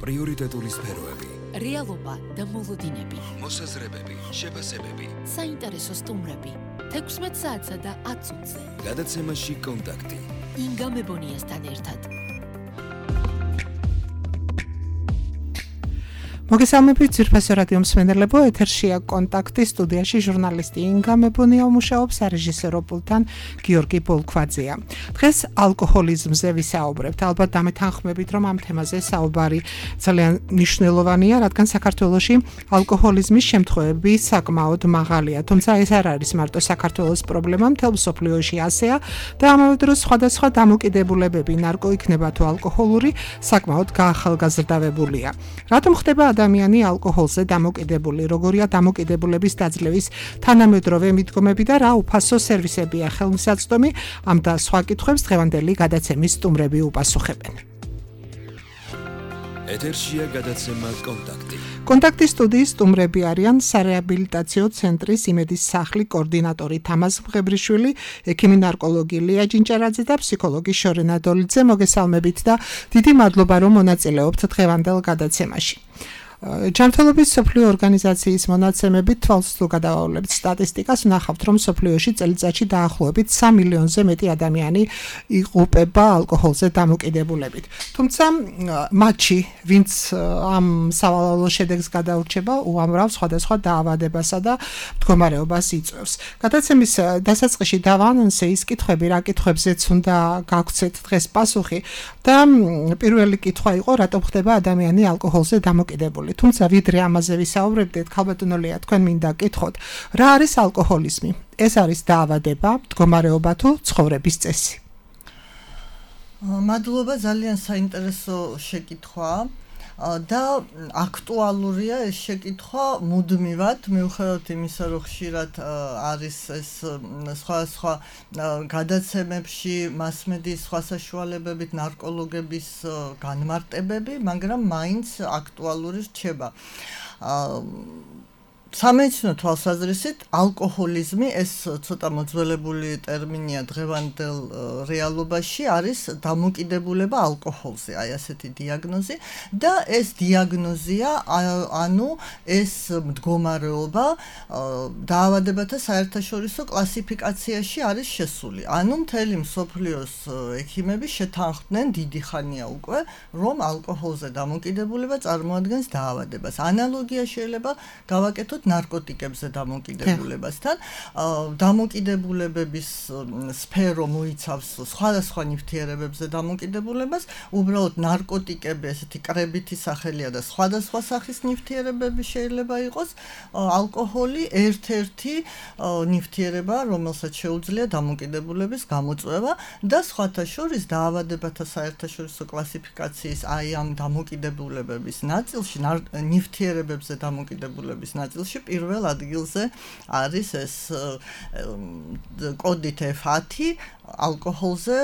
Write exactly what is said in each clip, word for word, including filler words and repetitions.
პრიორიტეტული სფეროები, რეალობა და მოლოდინები, მოსაზრებები, შეფასებები, საინტერესო სტუმრები, თექვსმეტ საათსა და ათ წუთზე. გადაცემაში კონტაქტი. ინგა მებონიასთან ერთად. მოგესალმებით ძვირფასო რადიო მსმენელებო, ეთერშია კონტაქტი, სტუდიაში ჟურნალისტი ინგა მებონია მუშაობს, რეჟისორო პულტთან გიორგი ბოლქვაძეა. დღეს ალკოჰოლიზმზე ვისაუბრებთ. ალბათ დამეთანხმებით, რომ ამ თემაზე საუბარი ძალიან მნიშვნელოვანია, რადგან საქართველოში ალკოჰოლიზმის შემთხვევები საკმაოდ მაღალია. თუმცა ეს არ არის მარტო საქართველოს პრობლემა, მთელ მსოფლიოში ასეა და ამავე დროს სხვადასხვა დამოკიდებულებები, ნარკო იქნება თუ ალკოჰოლური, საკმაოდ გაახალგაზრდავებულია. რატომ ხდება ადამიანი ალკოჰოლზე დამოკიდებული, როგორია დამოკიდებულების დაძლევის თანამედროვე მიდგომები და რა უფასო სერვისებია ხელმისაწვდომი, ამ და სხვა კითხვებს დღევანდელი გადაცემის სტუმრები უპასუხებენ. ეთერშია გადაცემა კონტაქტი. კონტაქტის სტუდიის სტუმრები არიან სარეაბილიტაციო ცენტრის იმედის სახლის კოორდინატორი თამაზ მღებრიშვილი, ექიმი ნარკოლოგი ლია ჯინჭარაძე და ფსიქოლოგი შორენა დოლიძე. მოგესალმებით და დიდი მადლობა, რომ მონაწილეობთ დღევანდელ გადაცემაში. ჯანმრთელობის მსოფლიო ორგანიზაციის მონაცემებით თვალს თუ გადავავლებთ სტატისტიკას, ვნახავთ, რომ მსოფლიოში წელიწადში დაახლოებით სამ მილიონზე მეტი ადამიანი იღუპება ალკოჰოლზე დამოკიდებულებით. თუმცა მათში, ვინც ამ სავალალო შედეგს გადაურჩება, უამრავ სხვადასხვა დაავადებასა და მდგომარეობას იწვევს. გადაცემის დასაწყისში დავაანონსე ის კითხვები, რა კითხვებზეც უნდა გაგვცეთ დღეს პასუხი და პირველი კითხვა იყო, რატომ ხდება ადამიანი ალკოჰოლზე დამოკიდებული. თუმცა ვიდრე ამაზე ვისაუბრებდეთ, ქალბატონო ლია, თქვენ მინდა გკითხოთ, რა არის ალკოჰოლიზმი? ეს არის დაავადება, მდგომარეობა თუ ცხოვრების წესი? მადლობა, ძალიან საინტერესო შეკითხვაა. და აქტუალურია ეს შეკითხვა მუდმივად, მიუხედავად იმისა, რომ ხშირად არის ეს სხვადასხვა გადაცემებში, მასმედიის სხვა საშუალებებით ნარკოლოგების განმარტებები, მაგრამ მაინც აქტუალური რჩება. სამედიცინო თვალსაზრისით ალკოჰოლიზმი, ეს ცოტა მოძველებული ტერმინია დღევანდელ რეალობაში, არის დამოკიდებულება ალკოჰოლზე, აი ასეთი დიაგნოზი და ეს დიაგნოზია, ანუ ეს მდგომარეობა დაავადებათა საერთაშორისო კლასიფიკაციაში არის შესული. ანუ მთელი მსოფლიოს ექიმები შეთანხმდნენ დიდი ხანია უკვე, რომ ალკოჰოლზე დამოკიდებულება წარმოადგენს დაავადებას. ანალოგია შეიძლება გავაკეთოთ ნარკოტიკებზე დამოკიდებულებასთან. დამოკიდებულებების სფერო მოიცავს სხვადასხვა ნივთიერებებზე დამოკიდებულებას, უბრალოდ ნარკოტიკები, ესეთი კრებითი სახელია და სხვადასხვა სახის ნივთიერებები შეიძლება იყოს. ალკოჰოლი ერთ-ერთი ნივთიერება, რომელსაც შეუძლია დამოკიდებულების გამოწვევა და სხვათა შორის დაავადებათა საერთაშორისო კლასიფიკაციის აი ამ დამოკიდებულებების ნაწილში, ნივთიერებებზე დამოკიდებულების ნაწილში პირველ ადგილზე არის ეს კოდით ეფ ათი ალკოჰოლზე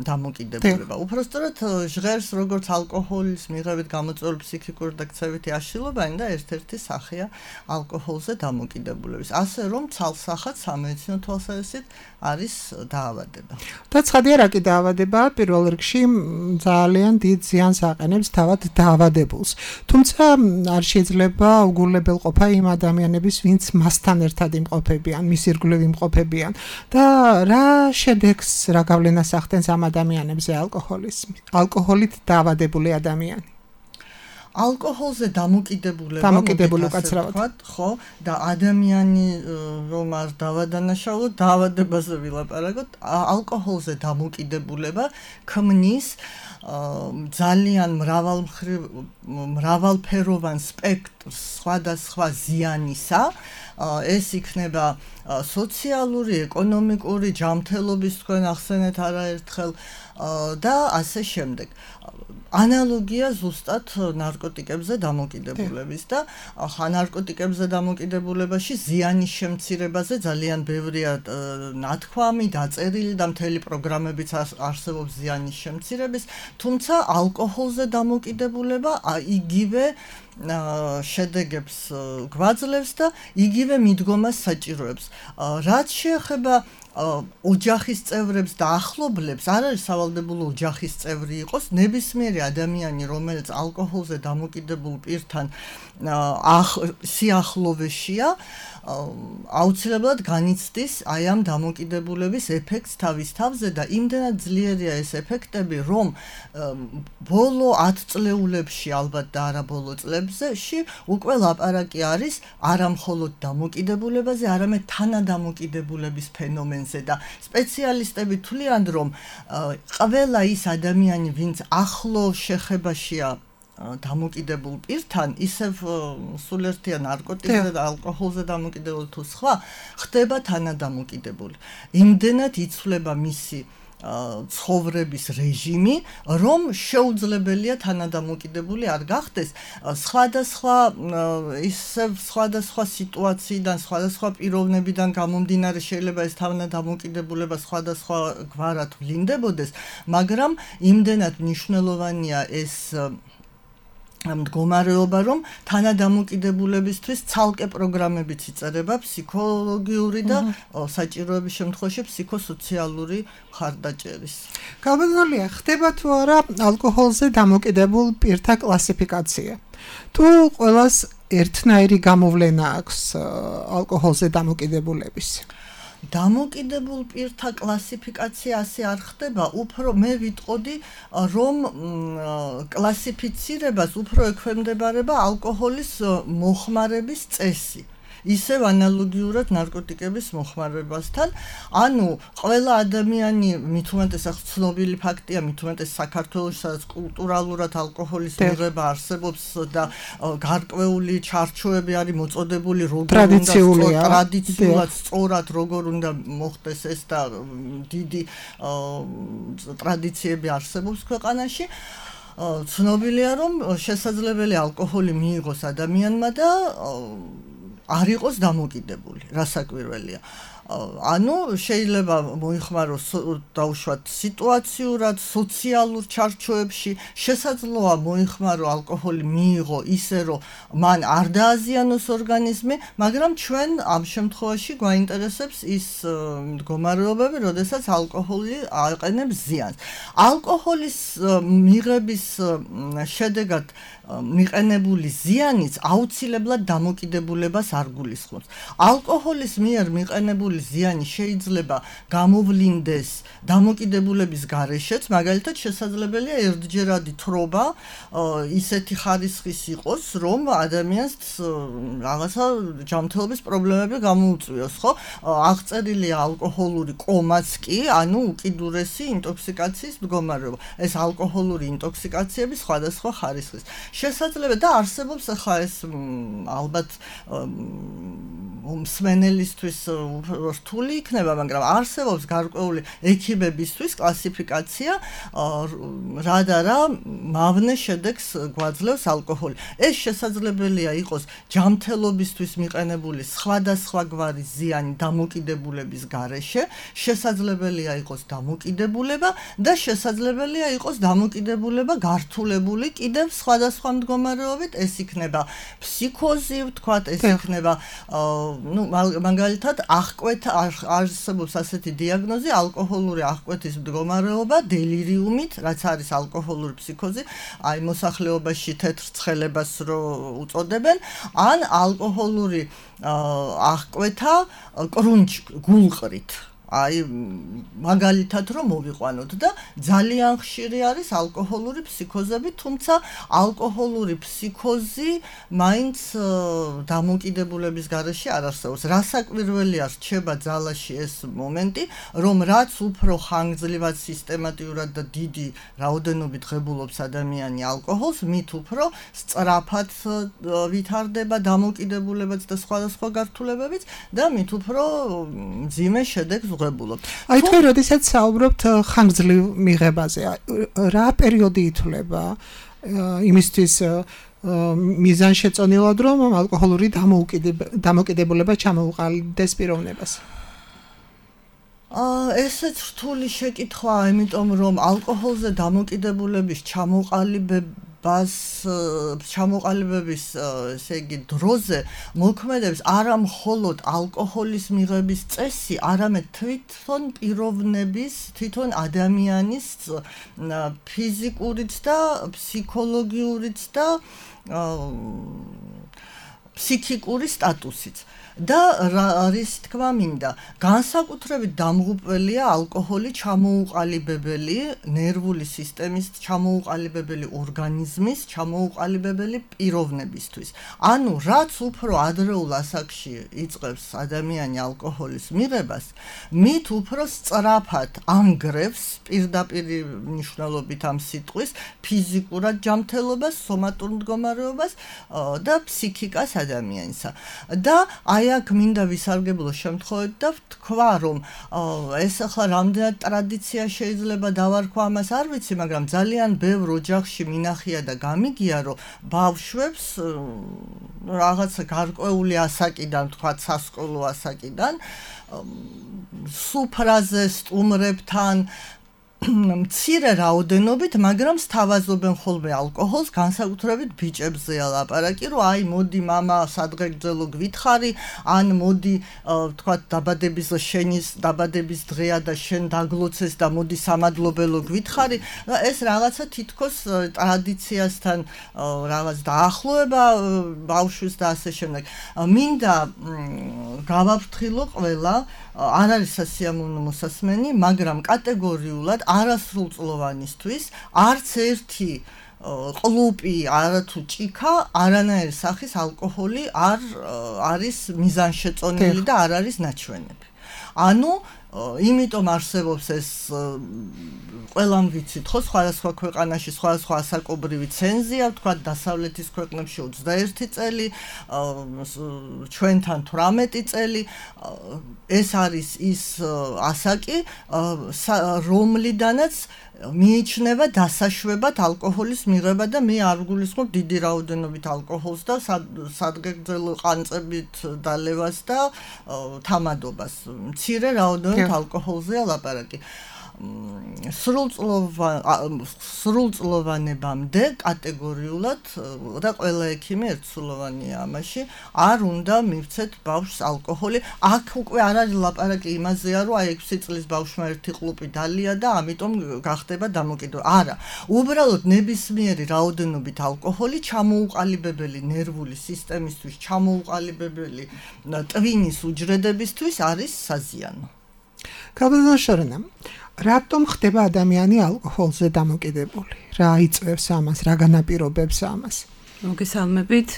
დამოკიდებულება. უпростоრად ჟღერს როგორც ალკოჰოლის მიღებით გამოწვეული ფსიქიკური და ქცევითი აშლილობანი და ერთ-ერთი სახეა ალკოჰოლზე დამოკიდებულების. ასე რომ ცალსახად სამედიცინო თვალსაზრისით არის დაავადება. და ცხადია რა კი დაავადებაა, პირველ რიგში ძალიან დიდ ზიანს აყენებს თავად დაავადებულს. თუმცა არ შეიძლება უგულებელყოფა იმ ადამიანების, ვინც მასთან ერთად იმყოფებიან, მის ირგვლივ იმყოფებიან და რა შედეგს, რა გავლენას ახდენს ამ ადამიანებზე αλკოჰოლიზმი, ალკოჰოლით დაავადებული ადამიანი. ალკოჰოლზე დამოკიდებულება, დამოკიდებული უკაცრავად, ხო, და ადამიანი რომ არ დავადანაშაულოთ, დაავადებაზე ვილაპარაკოთ, ალკოჰოლზე დამოკიდებულება ქმნის ძალიან მრავალმხრივ მრავალფეროვან სპექტრს სხვადასხვა ზიანისა. ეს იქნება სოციალური, ეკონომიკური, ჯანმრთელობის, თქვენ ახსენეთ არაერთხელ და ასე შემდეგ. ანალოგია ზუსტად ნარკოტიკებზე დამოკიდებულების და ხა ნარკოტიკებზე დამოკიდებულებაში ზიანის შემცირებაზე ძალიან ბევრია ნათქვამი, დაწერილი და მთელი პროგრამებიც არსებობს ზიანის შემცირების, თუმცა ალკოჰოლზე დამოკიდებულება იგივე შედეგებს გვაძლევს და იგივე მიდგომას საჭიროებს. რაც შეეხება ოჯახის წევრებს და ახლობლებს არ არის სავალდებულო ოჯახის წევრი იყოს, ნებისმიერი ადამიანი, რომელიც ალკოჰოლზე დამოკიდებულ პირთან სიახლოვეშია, აუცილებლად განიცდის აი ამ დამოკიდებულების ეფექტს თავის თავზე და იმდენად ძლიერია ეს ეფექტები, რომ ბოლო ათ წლეულებში ალბათ და არა ბოლო წლებში უკვე ლაპარაკი არის არა მხოლოდ დამოკიდებულებაზე, არამედ თანადამოკიდებულების ფენომენზე და სპეციალისტები თვლიან, რომ ყველა ის ადამიანი, ვინც ახლო შეხებაშია დამოკიდებულ პირთან, ისევ სულერთია ნარკოტიკზე და ალკოჰოლზე დამოკიდებული თუ სხვა, ხდება თანადამოკიდებული. იმდენად იცვლება მისი ცხოვრების რეჟიმი, რომ შეუძლებელია თანადამოკიდებული არ გახდეს. სხვადასხვა ისევ სხვადასხვა სიტუაციიდან, სხვადასხვა პიროვნებიდან გამომდინარე შეიძლება ეს თანადამოკიდებულება სხვადასხვა გვარად ვლინდებოდეს, მაგრამ იმდენად მნიშვნელოვანია ეს მდგომარეობა, რომ თანადამოკიდებულებისთვის ცალკე პროგრამებიც იწერება ფსიქოლოგიური და საჭიროების შემთხვევაში ფსიქოსოციალური მხარდაჭერის. Გავაგზავნია, ხდება თუ არა ალკოჰოლზე დამოკიდებულ პირთა კლასიფიკაცია. თუ ყველას ერთნაირი გამოვლენა აქვს ალკოჰოლზე დამოკიდებულების? დამოკიდებულ პირთა კლასიფიკაცია ასე არ ხდება, უფრო მე ვიტყოდი, რომ კლასიფიცირებას უფრო ექვემდებარება ალკოჰოლის მოხმარების წესი. ისევ ანალოგიურად ნარკოტიკების მოხმარებასთან, ანუ ყველა ადამიანი, მით უმეტეს ცნობილი ფაქტია, მით უმეტეს საქართველოში, სადაც კულტურალურად αλკოჰოლის მიღება არსებობს და გარკვეული ჩარჩოები არის მოწოდებული, როგორ უნდა ტრადიციულად სწორად როგორ უნდა მოხდეს ეს და დიდი ტრადიციები არსებობს ქვეყანაში. ცნობილია, რომ შესაძლებელი ალკოჰოლი მიიღოს ადამიანმა და არ იყოს დამოკიდებული, რასაკვირველია. ანუ შეიძლება მოიხმაროს დაუშვათ სიტუაციურად, სოციალურ ჩარჩოებში, შესაძლოა მოიხმარო ალკოჰოლი მიიღო ისე, რომ მან არ დააზიანოს ორგანიზმი, მაგრამ ჩვენ ამ შემთხვევაში გვაინტერესებს ის მდგომარეობები, როდესაც ალკოჰოლი აყენებს ზიანს. ალკოჰოლის მიღების შედეგად მიყენებული ზიანიც აუცილებლად დამოკიდებულებას არ გულისხმობს. ალკოჰოლის მიერ მიყენებული ზიანი შეიძლება გამოვლინდეს დამოკიდებულების გარეშეც, მაგალითად შესაძლებელია ერთჯერადი თრობა ისეთი ხარისხის იყოს, რომ ადამიანს რაღაცა ჯანმრთელობის პრობლემები გამოუწვიოს, ხო? აღწერილია ალკოჰოლური კომაც კი, ანუ უკიდურესი ინტოქსიკაციის მდგომარეობა. ეს ალკოჰოლური ინტოქსიკაციები სხვადასხვა ხარისხის. შესაძლებელი და არსებობს ახლა ეს ალბათ მსმენელისთვის რთული იქნება, მაგრამ არსებობს გარკვეული ექიბებისთვის კლასიფიკაცია, რა და რა მავნე შედეგს გვაძლევს ალკოჰოლი. ეს შესაძლებელია იყოს ჯანმრთელობისთვის მიყენებული სხვადასხვაგვარი ზიანი დამოკიდებულების გარეშე, შესაძლებელია იყოს დამოკიდებულება და შესაძლებელია იყოს დამოკიდებულება გართულებული კიდევ სხვადასხვა მდგომარეობით, ეს იქნება ფსიქოზი, ვთქვათ, ეს იქნება ну, მაგალითად, აღკვეთა არსებობს ასეთი დიაგნოზი, ალკოჰოლური აღკვეთის მდგომარეობა, დელირიუმით, რაც არის ალკოჰოლური ფსიქოზი, აი მოსახლეობაში თეთრ ცხელებას რო უწოდებენ, ან ალკოჰოლური აღკვეთა კრუნჩ გულყრით. აი მაგალითად რომ მოვიყვანოთ და ძალიან ხშირი არის ალკოჰოლური ფსიქოზები, თუმცა ალკოჰოლური ფსიქოზი მაინც დამოკიდებულების გარეშე არ არსებობს. რასაკვირველია რჩება ძალაში ეს მომენტი, რომ რაც უფრო ხანგრძლივად სისტემატიურად და დიდი რაოდენობით ღებულობს ადამიანი ალკოჰოლს, მით უფრო სწრაფად ვითარდება დამოკიდებულებაც და სხვადასხვა გართულებებიც და მით უფრო მძიმე შედეგს აი თქვენ როდესაც საუბრობთ ხანგრძლივ მიღებაზე, რა პერიოდი ითვლება იმისთვის მიზანშეწონილად, რომ ალკოჰოლური დამოკიდებულება ჩამოუყალიბდეს პიროვნებას? ესეც რთული შეკითხვაა, იმიტომ რომ ალკოჰოლზე დამოკიდებულების ჩამოყალიბება ბას ჩამოყალიბების ესე იგი დროზე მოქმედებს არა მხოლოდ ალკოჰოლის მიღების წესი, არამედ თვითონ პიროვნების, თვითონ ადამიანის ფიზიკურიც და ფსიქოლოგიურიც და ფსიქიკური სტატუსიც. და არის თქმა მინდა, განსაკუთრებით დამღუპველია ალკოჰოლი ჩამოუყალიბებელი ნერვული სისტემის, ჩამოუყალიბებელი ორგანიზმის, ჩამოუყალიბებელი პიროვნებისთვის. ანუ რაც უფრო ადრეულ ასაკში იწყებს ადამიანი ალკოჰოლის მიღებას, მით უფრო სწრაფად ანგრევს პირდაპირ მნიშვნელობით ამ სიტყვის ფიზიკურად ჯანმრთელობას, სომატურ მდგომარეობას და ფსიქიკას ადამიანისა. და აი აქ მინდა ვისარგებლო შემთხვევით და ვთქვა, რომ ეს ახლა რამდენად ტრადიცია შეიძლება დავარქვა ამას არ ვიცი, მაგრამ ძალიან ბევრ ოჯახში მინახია და გამიგია, რომ ბავშვებს რაღაცა გარკვეული ასაკიდან, თქვა სასკოლო ასაკიდან სუფრაზე სტუმრებთან მცირე რაოდენობით, მაგრამ სთავაზობენ ხოლმე ალკოჰოლს, განსაკუთრებით ბიჭებზეა ლაპარაკი, რომ აი მოდი мама სადღეგრძელო გვითხარი, ან მოდი თქვა დაბადების შენის დაბადების დღეა და შენ დაგლოცეს და მოდი სამადლობელო გვითხარი. ეს რაღაცა თითქოს ტრადიციასთან რაღაც დაახლოება ბავშვის და ასე შემდეგ. მინდა გავაფრთხილო ყველა, არ არის სასიამოვნო მოსასმენი, მაგრამ კატეგორიულად არასრულწლოვანისთვის არც ერთი ყლუპი, არათუ ჭიქა, არანაირი სახის ალკოჰოლი არ არის მიზანშეწონილი და არ არის ნაჩვენები. ანუ იმიტომ არსებობს ეს ყველამ ვიცით ხო სხვადასხვა ქვეყანაში სხვადასხვა ასაკობრივი ცენზია, თქვა დასავლეთის ქვეყნებში ოცდაერთი წელი, ჩვენთან თვრამეტი წელი. ეს არის ის ასაკი, რომლიდანაც მიიჩნევა დასაშვებად ალკოჰოლის მიღება და მე არ ვგულისხმობ დიდი რაოდენობით ალკოჰოლს და სადღეგრძელო ყანწებით დალევას და თამადობას. მცირე რაოდენობით ალკოჰოლზეა ლაპარაკი. სრულწლოვანებამდე კატეგორიულად და ყველა ექიმი ერთსულოვანია ამაში, არ უნდა მივცეთ ბავშვს ალკოჰოლი. აქ უკვე არ არის ლაპარაკი იმაზეა, რომ აი ექვსი წლის ბავშვმა ერთი ყლუპი დალია და ამიტომ გახდება დამოკიდებული. არა, უბრალოდ ნებისმიერი რაოდენობით ალკოჰოლი ჩამოუყალიბებელი ნერვული სისტემისთვის, ჩამოუყალიბებელი ტვინის უჯრედებისთვის არის საზიანო. კაბელოშორნა რატომ ხდება ადამიანი ალკოჰოლზე დამოკიდებული? რა იწვევს ამას, რა განაპირობებს ამას? მოგესალმებით.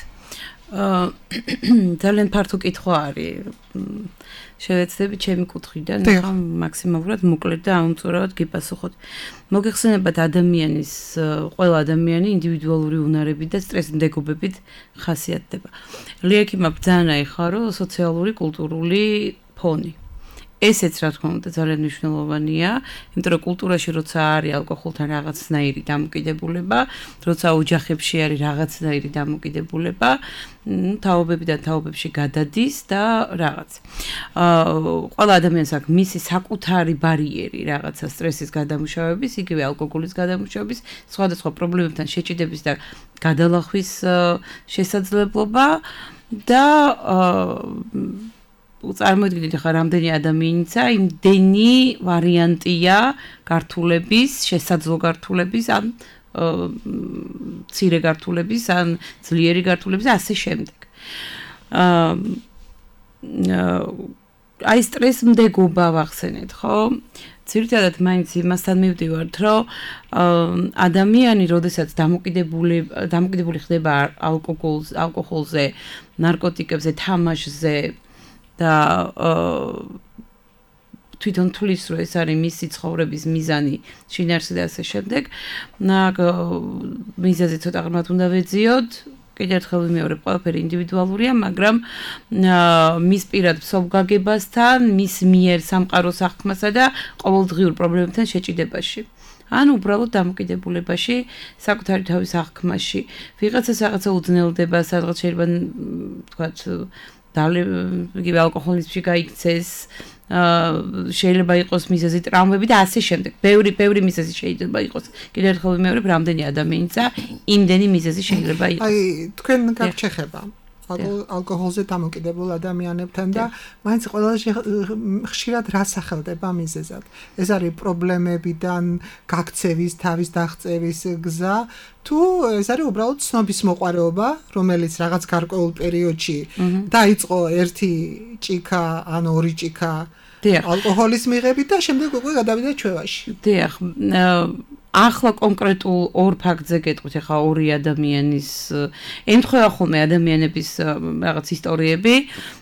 ძალიან ფართო კითხვა არის. შევეცდები ჩემი კუთხიდან, ხა მაქსიმალურად მოკლედ და აუმწურავად გიპასუხოთ. მოგეხსენებათ ადამიანის, ყველა ადამიანი ინდივიდუალური უნარები და სტრესმდეგობებით ხასიათდება. ლიექიმმა ბრძანა ეხა, რომ სოციალური, კულტურული ფონი. ესეც რა თქმა უნდა ძალიან მნიშვნელოვანია, იმიტომ რომ კულტურაში როცა არის ალკოჰოლთან რაღაცნაირი დამოკიდებულება, როცა ოჯახებში არის რაღაცნაირი დამოკიდებულება, თაობებიდან თაობებში გადადის და რაღაც. აა ყველა ადამიანს აქვს მისი საკუთარი ბარიერი რაღაცა სტრესის გადამუშავების, იგივე ალკოჰოლის გადამუშავების, სხვადასხვა პრობლემებთან შეჭიდების და გადალახვის შესაძლებლობა და აა წარმოიდგინეთ ახლა რამდენი ადამიანიცა, იმდენი ვარიანტია გართულების, შესაძლო გართულების, ან მცირე გართულების, ან ძლიერი გართულების, ასე შემდეგ. აი სტრესმდეგობა ვახსენეთ, ხო? ძირითადად მაინც იმასთან მივდივართ, რომ ადამიანი, როდესაც დამოკიდებული დამოკიდებული ხდება ალკოჰოლზე, ალკოჰოლზე, ნარკოტიკებზე, თამაშზე და თვითონ თulis რომ ეს არის მისი ცხოვრების მიზანი, შინაარსი და ასე შემდეგ. მიზეზი ცოტა ღრმად უნდა ვეძიოთ. კიდევ ერთხელ ვიმეორებ, ყველაფერი ინდივიდუალურია, მაგრამ მის პირად მსოფლგაგებასთან, მის მიერ სამყაროს აღქმასა და ყოველდღიურ პრობლემებთან შეჭიდებაში. ან უბრალოდ დამოკიდებულებაში, საკუთარი თავის აღქმაში. ვიღაცას რაღაცა უძნელდება, სადღაც შეიძლება თქვათ იგივე ალკოჰოლიზმში გაიქცეს აა შეიძლება იყოს მიზეზი ტრაუმები და ასე შემდეგ. ბევრი ბევრი მიზეზი შეიძლება იყოს. კიდევ ერთხელ ვიმეორებ, რამდენი ადამიანია, იმდენი მიზეზი შეიძლება იყოს. აი, თქვენ გაჩეხება ალკოჰოლზე დამოკიდებულ ადამიანებთან და მაინც ყველაზე ხშირად რა სახელდება მიზეზად. ეს არის პრობლემებიდან გაქცევის, თავის დაღწევის გზა, თუ ეს არის უბრალოდ ცნობის მოყვარეობა, რომელიც რაღაც გარკვეულ პერიოდში დაიწყო ერთი ჭიქა ან ორი ჭიქა ალკოჰოლის მიღებით და შემდეგ უკვე გადავიდა ჩვევაში. დიახ, ახლა კონკრეტულ ორ ფაქტზე გეტყვით, ახლა ორი ადამიანის ემთხვევა ხოლმე ადამიანების რაღაც ისტორიები.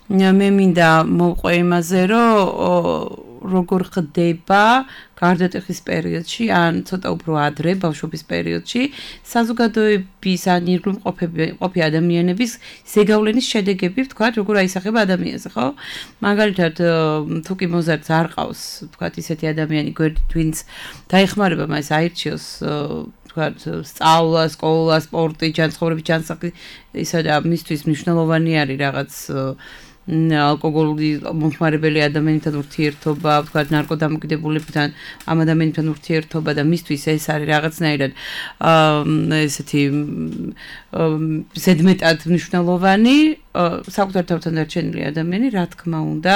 მე მინდა მოვყვე იმაზე, რომ როგორ ხდება გარდატეხის პერიოდში, ან ცოტა უფრო ადრე, ბავშვობის პერიოდში, საზოგადოების ან ირგვლივ მყოფი ადამიანების ზეგავლენის შედეგები, ვთქვათ, როგორ აისახება ადამიანზე, ხო? მაგალითად, თუ კი მოზარდს არ ყავს, ვთქვათ, ისეთი ადამიანი გვერდით, ვინც დაეხმარება მას აირჩიოს, ვთქვათ, სწავლა, სკოლა, სპორტი, ჯანმრთელობის ჯანსაღი, ისა და მისთვის მნიშვნელოვანი არის რაღაც ალკოგოლური მომხმარებელი ადამიანთან ურთიერთობა, ვთქვათ, ნარკოდამოკიდებულებთან ამ ადამიანთან ურთიერთობა და მისთვის ეს არის რაღაცნაირად ესეთი ზედმეტად მნიშვნელოვანი, საკუთარ თავთან დარჩენილი ადამიანი, რა თქმა უნდა,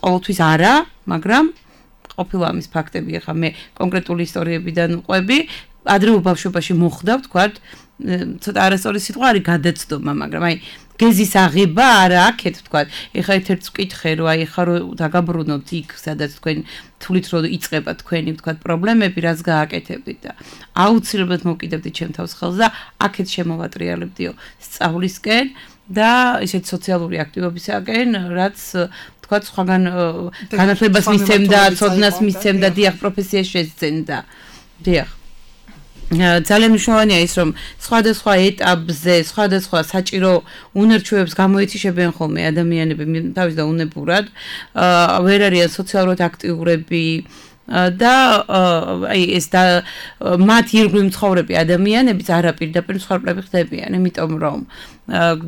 ყოველთვის არა, მაგრამ ყოფილა ამის ფაქტები, ახლა მე კონკრეტული ისტორიებიდან ვყვები, ადრეულ ბავშვობაში მოხდა, ვთქვათ, ცოტა არასწორი სიტყვა არის გადაცდომა, მაგრამ აი გეზის აღება არა აქეთ ვთქვათ. ეხლა ერთ-ერთს ვკითხე, რომ აი ეხლა რომ დაგაბრუნოთ იქ, სადაც თქვენ თulit რომ იწყება თქვენი ვთქვათ პრობლემები, რაც გააკეთებდით და აუცილებლად მოვკიდებდით ჩემ თავს ხელს და აქეთ შემოვატრიალებდიო სწავლისკენ და ისეთ სოციალური აქტივობისაკენ, რაც ვთქვათ, სხვაგან განათლებას მისცემდა, ცოდნას მისცემდა, დიახ, პროფესიაში შეძენდა. დიახ. ძალიან მნიშვნელოვანია ის, რომ სხვადასხვა ეტაპზე, სხვადასხვა საჭირო უნარჩვევებს გამოეთიშებიან ხოლმე ადამიანები თავის და უნებურად, ვერ არიან სოციალურად აქტიურები და აი ეს და მათ ირგვლივ მცხოვრები ადამიანებიც არაპირდაპირ მსხვერპლები ხდებიან, იმიტომ რომ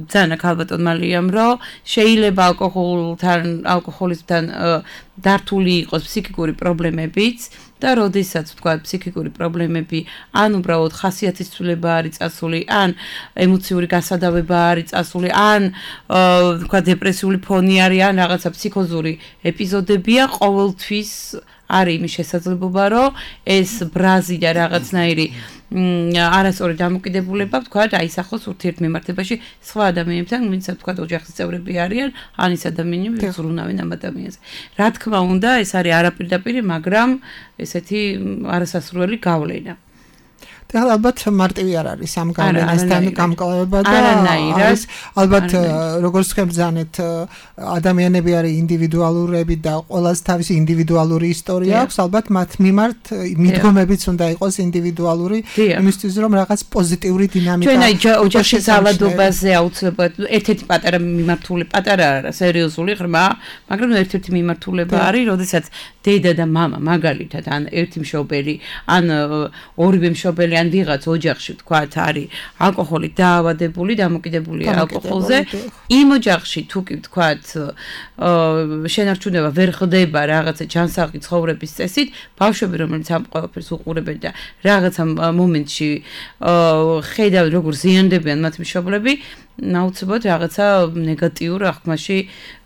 ძალიან აქ ალბათ მალიამ რომ შეიძლება ალკოჰოლთან, ალკოჰოლიზმთან დართული იყოს ფსიქიკური პრობლემებიც და როდესაც ვთქვათ ფსიქიკური პრობლემები ან უბრალოდ ხასიათის ცვლილება არის წასული, ან ემოციური გასადავება არის წასული, ან ვთქვათ დეპრესიული ფონი არის, ან რაღაცა ფსიქოზური ეპიზოდებია, ყოველთვის არის იმის შესაძლებლობა, რომ ეს ბრაზი და რაღაცნაირი არასწორი დამოკიდებულება, ვთქვათ, აისახოს ურთიერთმემართებაში სხვა ადამიანებთან, ვინც ვთქვათ, ოჯახის წევრები არიან, ან ის ადამიანები, ვინც ზრუნავენ ამ ადამიანზე. რა თქმა უნდა, ეს არის არაპირდაპირი, მაგრამ ესეთი არასასურველი გავლენა. და ალბათ მარტივი არ არის ამ გავლენასთან გამკლავება და არის ალბათ როგორც ხებძანეთ ადამიანები არის ინდივიდუალურები და ყველას თავისი ინდივიდუალური ისტორია აქვს, ალბათ მათ მიმართ მიდგომებიც უნდა იყოს ინდივიდუალური, იმისთვის რომ რაღაც პოზიტიური დინამიკა. ჩვენ აი ოჯახის ძალადობაზე აუცილებლად ერთ-ერთი პატარა მიმართული, პატარა არა, სერიოზული ღრმა, მაგრამ ერთ-ერთი მიმართულება არის, როდესაც დედა და მამა მაგალითად ან ერთი მშობელი, ან ორივე მშობელი ან ვიღაც ოჯახში ვთქვათ არის ალკოჰოლით დაავადებული, დამოკიდებული ალკოჰოლზე, იმ ოჯახში თუ კი ვთქვათ შენარჩუნება ვერ ხდება რაღაცა ჯანსაღი ცხოვრების წესით, ბავშვები რომელიც ამ ყველაფერს უყურებენ და რაღაცა მომენტში ხედავ როგორ ზიანდებიან მათ მშობლები, აუცილებლად რაღაცა ნეგატიურ აღქმაში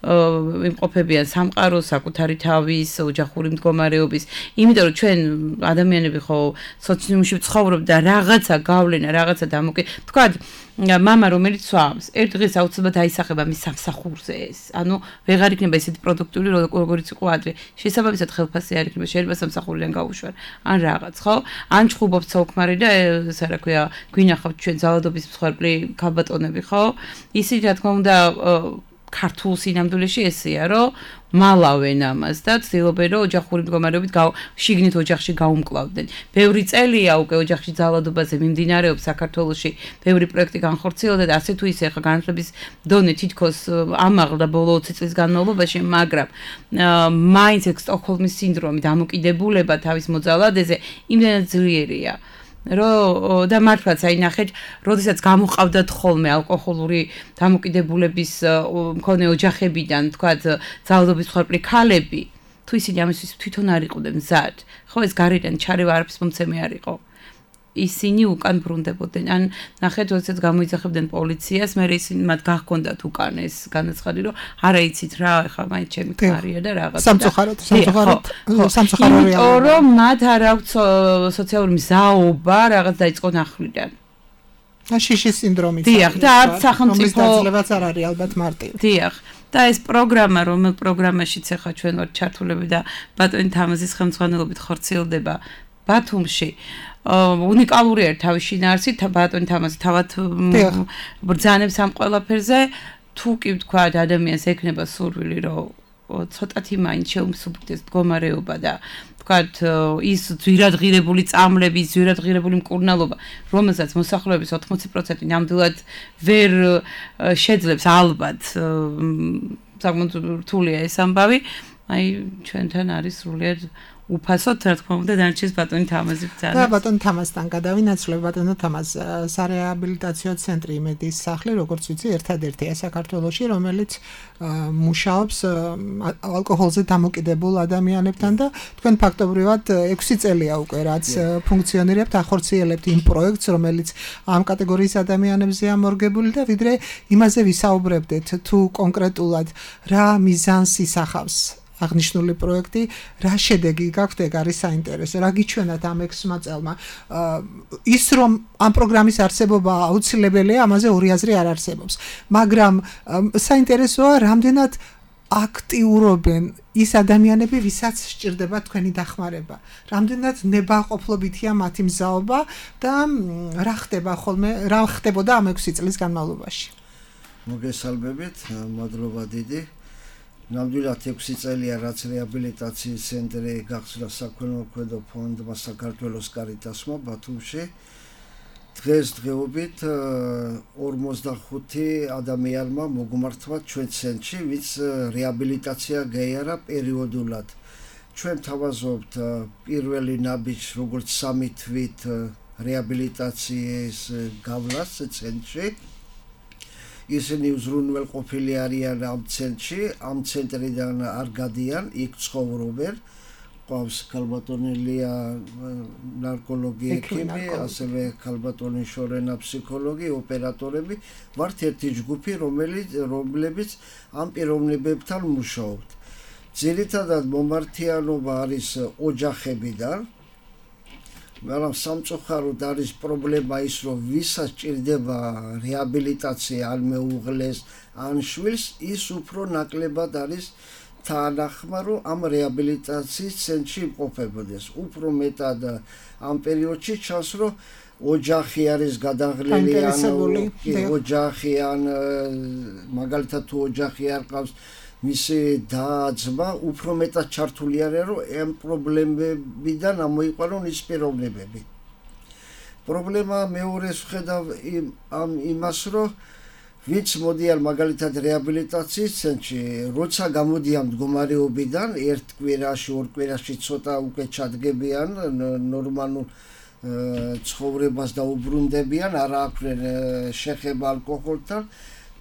იმყოფებიან სამყაროს, საკუთარი თავის, ოჯახური მდგომარეობის, იმიტომ რომ ჩვენ ადამიანები ხო სოციუმში ვცხოვრობ და რაღაცა გავლენა, რაღაცა დამოკი, ვთქვათ, მამა რომელიც სვამს, ერთ დღეს აუცილებლად აისახება მის სამსახურზე ეს. ანუ ვეღარ იქნება ესეთი პროდუქტიული, როგორიც იყო ადრე. შესაბამისად ხელფასი არ იქნება, შეიძლება სამსახურიდან გაუშვან, ან რაღაც, ხო? ან ჩხუბობთ საუქმარი და ეს რა ქვია, გვინახავთ ჩვენ ძალადობის მსხვერპლი ქალბატონები, ხო? ისიც რა თქმა უნდა ქართულ სინამდვილეში ესეა, რომ მალავენ ამას და ცდილობენ, რომ ოჯახური მდგომარეობით შიგნით ოჯახში გაუმკლავდნენ. ბევრი წელია უკვე ოჯახში ძალადობაზე მიმდინარეობს საქართველოში, ბევრი პროექტი განხორციელდა და ასე თუ ისე ახლა განათლების დონე თითქოს ამაღლდა ბოლო ოცი წლის განმავლობაში, მაგრამ მაინც ეს სტოკჰოლმის სინდრომი, დამოკიდებულება თავის მოძალადეზე იმდენად ძლიერია. რომ და მართლაც აი ნახეთ, როდესაც გამოყავდათ ხოლმე ალკოჰოლური დამოკიდებულების მქონე ოჯახებიდან, თქვათ, ძალადობის მსხვერპლი ქალები, თუ ისინი ამისთვის თვითონ არ იყვნენ მზად, ხო ეს გარედან ჩარევა არაფრის მომცემი არ იყო. ისინი უკან ბრუნდებოდნენ. ან ნახეთ, როდესაც გამოიძახებდნენ პოლიციას, მე ისინი მათ გახქონდათ უკან ეს განაცხადი, რომ არა იცით რა, ეხლა მაინც ჩემი კარია და რაღაც. სამწუხაროდ, სამწუხაროდ, სამწუხარო რეალია. იმიტომ რომ მათ არ აქვს სოციალური მზაობა რაღაც დაიწყო ნახლიდან. და შიშის სინდრომიც. დიახ, და არც სახელმწიფო დაძლებაც არ არის ალბათ მარტივი. დიახ. და ეს პროგრამა, რომელ პროგრამაშიც ახლა ჩვენ ვართ ჩართულები და ბატონი თამაზის ხელმძღვანელობით ხორციელდება ბათუმში. უნიკალური ერთ თავის შინაარსით ბატონი თამაზი თავად ბრძანებს ამ ყველაფერზე თუ კი ვთქვა ადამიანს ექნება სურვილი რომ ცოტათი მაინც შეუმსუბუქდეს მდგომარეობა და ვთქვათ ის ძვირადღირებული წამლები, ძვირადღირებული მკურნალობა, რომელსაც მოსახლეობის ოთხმოცი პროცენტი ნამდვილად ვერ შეძლებს ალბათ საკმაოდ რთულია ეს ამბავი, აი ჩვენთან არის სრულიად უფასოდ რა თქმა უნდა დარჩეს ბატონი თამაზი ბრძანა. და ბატონი თამაზთან გადავინაცვლებ ბატონო თამაზ სარეაბილიტაციო ცენტრი იმედის სახლი, როგორც ვიცი, ერთადერთია საქართველოში, რომელიც მუშაობს ალკოჰოლზე დამოკიდებულ ადამიანებთან და თქვენ ფაქტობრივად ექვსი წელია უკვე რაც ფუნქციონირებთ, ახორციელებთ იმ პროექტს, რომელიც ამ კატეგორიის ადამიანებზეა მორგებული და ვიდრე იმაზე ვისაუბრებდეთ, თუ კონკრეტულად რა მიზანს ისახავს აღნიშნული პროექტი, რა შედეგი გაქვთ, ეგ არის საინტერესო. რა გიჩვენათ ამ ექვსმა წელმა? ის რომ ამ პროგრამის არსებობა აუცილებელია, ამაზე ორი აზრი არ არსებობს. მაგრამ საინტერესოა, რამდენად აქტიურობენ ის ადამიანები, ვისაც სჭირდება თქვენი დახმარება. რამდენად ნებაყოფლობითია მათი მზაობა და რა ხდება ხოლმე, რა ხდებოდა ამ ექვსი წლის განმავლობაში? მოგესალმებით, მადლობა დიდი. ნამდვილად ექვსი წელია რაც რეაბილიტაციის ცენტრი გახსნა საქველმოქმედო ფონდმა საქართველოს კარიტასმა ბათუმში. დღეს დღეობით ორმოცდახუთი ადამიანმა მოგმართვა ჩვენ ცენტრში, ვინც რეაბილიტაცია გაიარა პერიოდულად. ჩვენ თავაზობთ პირველი ნაბიჯს როგორც სამი თვით რეაბილიტაციის გავლას ცენტრში. ისინი უზრუნველყოფილი არიან ამ ცენტრში, ამ ცენტრიდან არ გადიან, იქ ცხოვრობენ. ყავს ქალბატონელია ნარკოლოგი ექიმი, ასევე ქალბატონი შორენა ფსიქოლოგი, ოპერატორები. ვართ ერთი ჯგუფი, რომელიც რომლებიც ამ პიროვნებებთან მუშაობთ. ძირითადად მომართიანობა არის ოჯახებიდან. მაგრამ სამწუხაროდ არის პრობლემა ის, რომ ვისაც ჭირდება რეაბილიტაცია, ან მეუღლეს, ან შვილს, ის უფრო ნაკლებად არის თანახმა, რომ ამ რეაბილიტაციის ცენტრში იმყოფებოდეს. უფრო მეტად ამ პერიოდში ჩანს, რომ ოჯახი არის გადაღლილი, ან ოჯახი, ან მაგალითად თუ ოჯახი არ ყავს მისი და-ძმა, უფრო მეტად ჩართული არიან, რომ ამ პრობლემებიდან ამოიყვანონ ის პიროვნებები. პრობლემა მეორეს ვხედავ ამ იმას, რომ ვინც მოდიან მაგალითად რეაბილიტაციის ცენტრში, როცა გამოდიან მდგომარეობიდან, ერთ კვირაში, ორ კვირაში ცოტა უკვე ჩადგებიან ნორმალურ ცხოვრებას და უბრუნდებიან, არ აქვთ შეხება ალკოჰოლთან,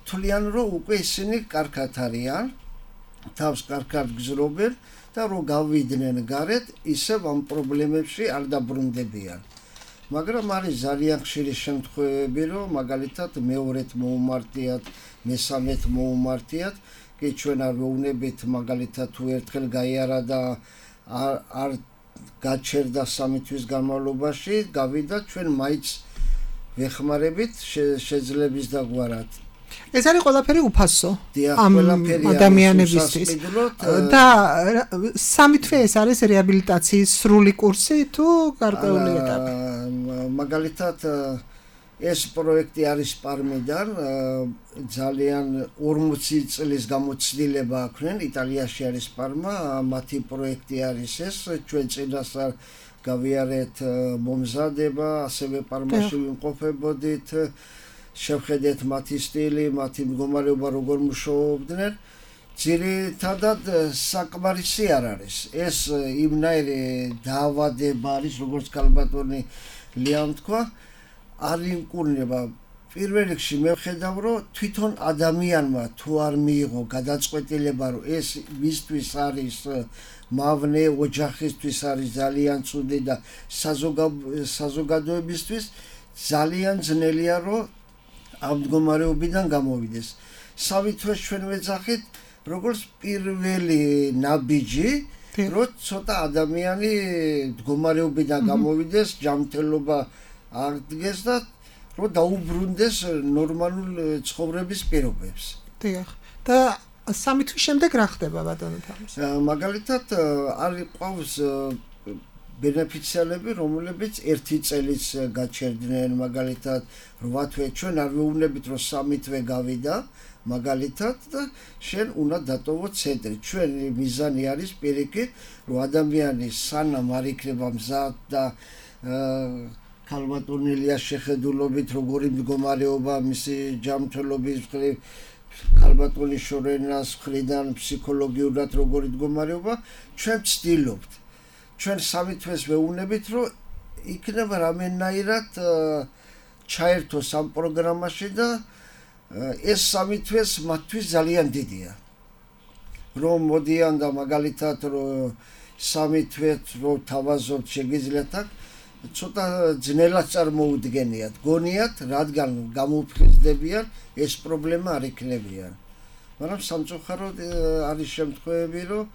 თვლიან, რომ უკვე ისინი კარგად არიან. თავს კარგად გზრობენ და რომ გავიდნენ გარეთ, ისევ ამ პრობლემებში არ დაბრუნდებიან. მაგრამ არის ძალიან ხშირი შემთხვევები, რომ მაგალითად მეორედ მოუმართიათ, მესამედ მოუმართიათ, კი ჩვენ არ ვეუბნებით, მაგალითად თუ ერთხელ გაიარა და არ არ გაჩერდა სამი თვის განმავლობაში, გავიდა, ჩვენ მაინც ვეხმარებით შეძლების დაგვარად. ეს არის ყველაფერი უფასო ამ ადამიანებისთვის და სამი თვე ეს არის რეაბილიტაციის სრული კურსი თუ გარკვეული ეტაპი? მაგალითად ეს პროექტი არის პარმიდან, ძალიან ორმოცი წლის გამოცდილება აქვთ, იტალიაში არის პარმა, მათი პროექტი არის ეს, ჩვენ წინასწარ გავიარეთ მომზადება, ასევე პარმაში ვიმყოფებოდით. შევხედეთ მათი სტილი, მათი მდგომარეობა როგორ მუშაობდნენ. ძირითადად საკმარისი არ არის. ეს იმნაირი დაავადება არის, როგორც ქალბატონი ლიამ თქვა არ იმკურნება პირველ რიგში მე ვხედავ რომ თვითონ ადამიანმა თუ არ მიიღო გადაწყვეტილება რომ ეს მისთვის არის მავნე ოჯახისთვის არის ძალიან ცუდი და საზოგადოებისთვის ძალიან ძნელია რომ ამ მდგომარეობიდან გამოვიდეს. სამი თვეს ჩვენ ვეძახით როგორც პირველი ნაბიჯი რომ ცოტა ადამიანი მდგომარეობიდან გამოვიდეს, ჯანმრთელობა აღდგეს და რომ დაუბრუნდეს ნორმალურ ცხოვრების პირობებს. დიახ. და სამი თვის შემდეგ რა ხდება ბატონო თამის? მაგალითად არის ყავს ბენეფიციარები, რომლებიც ერთი წელიც გაჩერდნენ, მაგალითად რვა თვე ჩვენ არ ვეუბნებით რომ სამი თვე გავიდა, მაგალითად და შენ უნდა დატოვო ცენტრი. ჩვენი მიზანი არის პირიქით, რომ ადამიანი სანამ არ იქნება მზად და ქალბატონილიას შეხედულობით როგორი მდგომარეობა მისი ჯანმრთელობის მხრივ ქალბატონის შორენას მხრიდან ფსიქოლოგიურად როგორი მდგომარეობა ჩვენ ვცდილობთ. ჩვენ სამი თვეს ვეუბნებით რომ იქნება რამენაირად ჩაერთოს ამ პროგრამაში და ეს სამი თვეს მათთვის ძალიან დიდია. რომ მოდიან და მაგალითად რომ სამი თვეს რომ თავაზობთ შეგიძლიათ აქ ცოტა ძნელად წარმოუდგენიათ, გონიათ, რადგან გამოფხიზდებიან, ეს პრობლემა არ იქნებიან. მაგრამ სამწუხაროდ არის შემთხვევები, რომ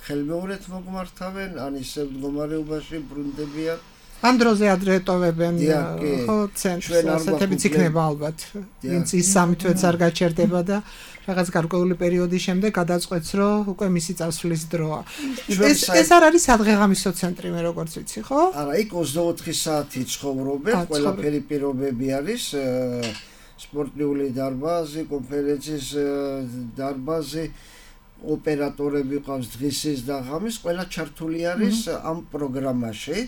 ხელმეორედ მოგმართავენ, ან ისე მდგომარეობაში ბრუნდებიან. ამ დროზე ადრე ეტოვებენ ხო ცენტრს, ასეთებიც იქნება ალბათ. ვინც ის სამი თვეც არ გაჩერდება და რაღაც გარკვეული პერიოდის შემდეგ გადაწყვეტს, რომ უკვე მისი წასვლის დროა. ეს ეს არ არის სადღეღამისო ცენტრი მე როგორც ვიცი, ხო? არა, იქ ოცდაოთხი საათი ცხოვრობენ, ყველაფერი პირობები არის, სპორტიული დარბაზი, კონფერენციის დარბაზი, ოპერატორები ყავს დღისის და ღამის, ყველა ჩართული არის ამ პროგრამაში.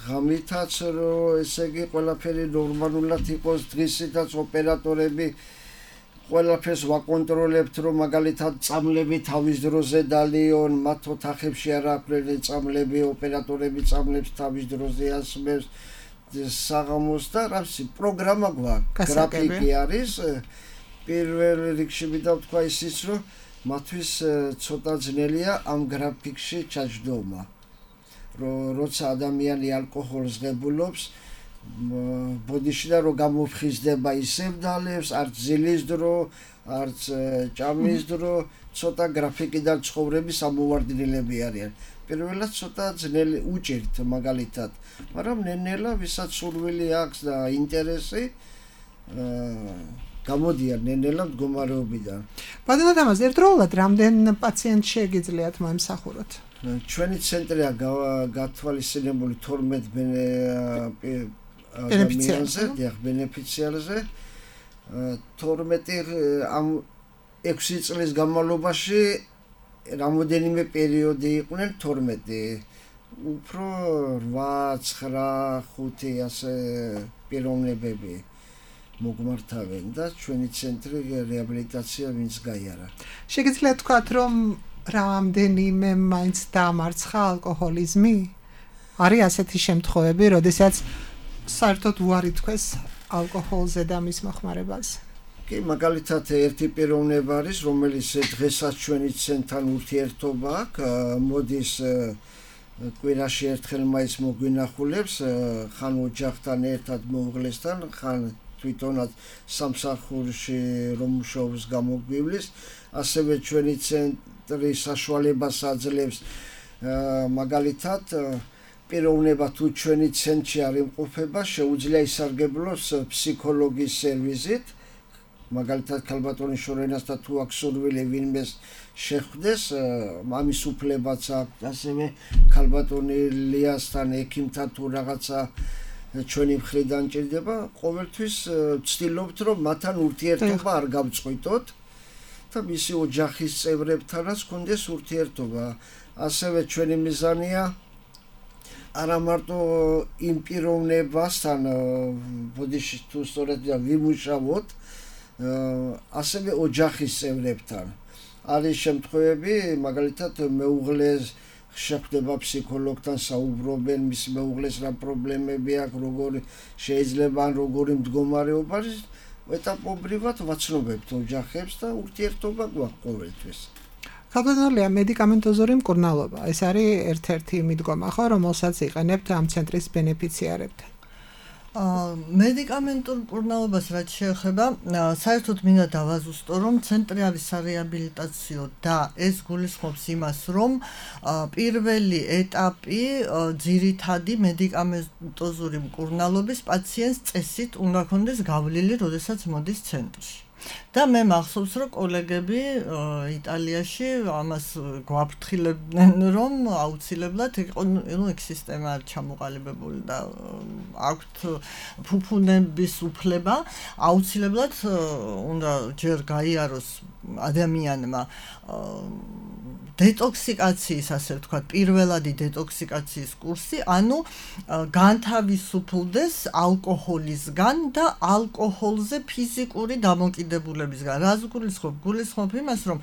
ღამითაც რომ ესე იგი ყველაფერი ნორმალურად იყოს, დღისითაც ოპერატორები ყველაფერს ვაკონტროლებთ, რომ მაგალითად წამლები თავის დროზე დალიონ, მათ ოთახებში არ აქვთ წამლები, ოპერატორები წამლებს თავის დროზე ასმევს საღამოს და რამსი პროგრამა გვაქვს, გრაფიკი არის. პირველ რიგში მინდა ვთქვა ისიც, რომ მათთვის ცოტა ძნელია ამ გრაფიკში ჩაჯდომა. როცა ადამიანი ალკოჰოლს ღებულობს, ბოდიში და რომ გამოფხიზდება ისევ დალევს, არც ძილის დრო, არც ჭამის დრო, ცოტა გრაფიკიდან ცხოვრების ამოვარდნილები არიან. პირველად ცოტა ძნელი უჭირთ მაგალითად, მაგრამ ნენელა ვისაც სურვილი აქვს და ინტერესი გამოდიან ნენელა მდგომარეობიდან. ბატონო თამაზ, ერთდროულად რამდენ პაციენტს შეგიძლიათ მოემსახუროთ? ჩვენი ცენტრია გათვალისწინებული თორმეტ ბენეფიციარზე, დიახ, ბენეფიციარზე. თორმეტი ამ ექვსი წლის განმავლობაში რამოდენიმე პერიოდი იყვნენ თორმეტი. უფრო რვა, ცხრა, ხუთი ასე პიროვნებები მოგმართავენ და ჩვენი ცენტრი რეაბილიტაცია ვინც გაიარა. შეგიძლიათ თქვათ, რომ რამდენიმე მაინც დაამარცხა ალკოჰოლიზმი? არის ასეთი შემთხვევები, როდესაც საერთოდ უარი თქვეს ალკოჰოლზე და მის მოხმარებას? კი, მაგალითად ერთი პიროვნება არის, რომელიც დღესაც ჩვენი ცენტრთან ურთიერთობა აქვს, მოდის კვირაში ერთხელ მაინც მოგვინახულებს, ხან ოჯახთან ერთად მოუღლესთან, ხან თვითონაც სამსახურში რომ მუშაობს გამოგვივლის, ასევე ჩვენი ცენტრი საშუალებას აძლევს მაგალითად პიროვნება თუ ჩვენი ცენტრში არ იმყოფება, შეუძლია ისარგებლოს ფსიქოლოგის სერვისით, მაგალითად ქალბატონის შორენას და თუ აქვს სურვილი ვინმეს შეხვდეს, ამის უფლებაც აქვს, ასევე ქალბატონი ლიასთან ექიმთან თუ რაღაცა ჩვენი მხრიდან ჭირდება, ყოველთვის ვცდილობთ, რომ მათთან ურთიერთობა არ გავწყვიტოთ და მისი ოჯახის წევრებთანაც გქონდეს ურთიერთობა. ასევე ჩვენი მიზანია არა მარტო იმ პიროვნებასთან ბოდიში თუ სწორედ ვიმუშაოთ, ასევე ოჯახის წევრებთან. არის შემთხვევები, მაგალითად მეუღლეს შეხვდება ფსიქოლოგთან, საუბრობენ, მის მეუღლეს რა პრობლემები აქვს, როგორი შეიძლება ან როგორი მდგომარეობა არის, ეტაპობრივად ვაცნობებთ ოჯახებს და ურთიერთობა გვაქვს ყოველთვის. Ქალბატონია, მედიკამენტოზური მკურნალობა, ეს არის ერთ-ერთი მიდგომა, ხო, რომელსაც იყენებთ ამ ცენტრის ბენეფიციარებთან. მედიკამენტურ მკურნალობას რაც შეეხება, საერთოდ მინდა დავაზუსტო, რომ ცენტრი არის სარეაბილიტაციო და ეს გულისხმობს იმას, რომ პირველი ეტაპი ძირითადი მედიკამენტოზური მკურნალობის პაციენტს წესით უნდა ქონდეს გავლილი, როდესაც მოდის ცენტრში. და მე მახსოვს, რომ კოლეგები იტალიაში ამას გვაფრთხილებდნენ, რომ აუცილებლად იყო, ნუ ეგ სისტემა არ ჩამოყალიბებული და აქვთ ფუფუნების უფლება, აუცილებლად უნდა ჯერ გაიაროს ადამიანმა დეტოქსიკაციის, ასე ვთქვათ, პირველადი დეტოქსიკაციის კურსი, ანუ განთავისუფლდეს ალკოჰოლისგან და ალკოჰოლზე ფიზიკური დამოკიდებულებისგან. რას გულისხმობ? გულისხმობ იმას, რომ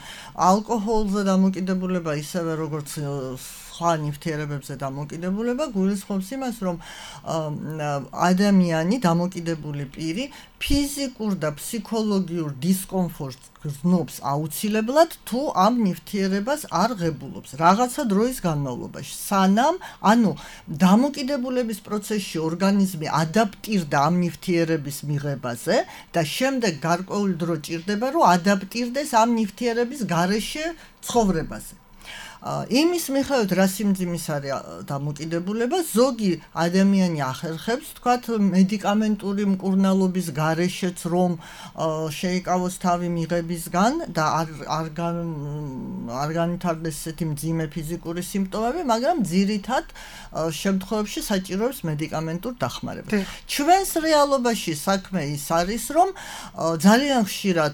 ალკოჰოლზე დამოკიდებულება ისევე როგორც სხვა ნივთიერებებზე დამოკიდებულება გულისხმობს იმას, რომ ადამიანი დამოკიდებული პირი ფიზიკურ და ფსიქოლოგიურ დისკომფორტს გრძნობს აუცილებლად თუ ამ ნივთიერებას არ ღებულობს რაღაცა დროის განმავლობაში. სანამ, ანუ დამოკიდებულების პროცესში ორგანიზმი ადაპტირდა ამ ნივთიერების მიღებაზე და შემდეგ გარკვეული დრო ჭირდება, რომ ადაპტირდეს ამ ნივთიერების გარეშე ცხოვრებაზე. იმის მიხედვით რა სიმძიმის არის დამოკიდებულება, ზოგი ადამიანი ახერხებს, თქვათ, მედიკამენტური მკურნალობის გარეშეც რომ შეიკავოს თავი მიღებისგან და არ არ განვითარდეს ესეთი მძიმე ფიზიკური სიმპტომები, მაგრამ ძირითად შემთხვევებში საჭიროებს მედიკამენტურ დახმარებას. ჩვენს რეალობაში საქმე ის არის, რომ ძალიან ხშირად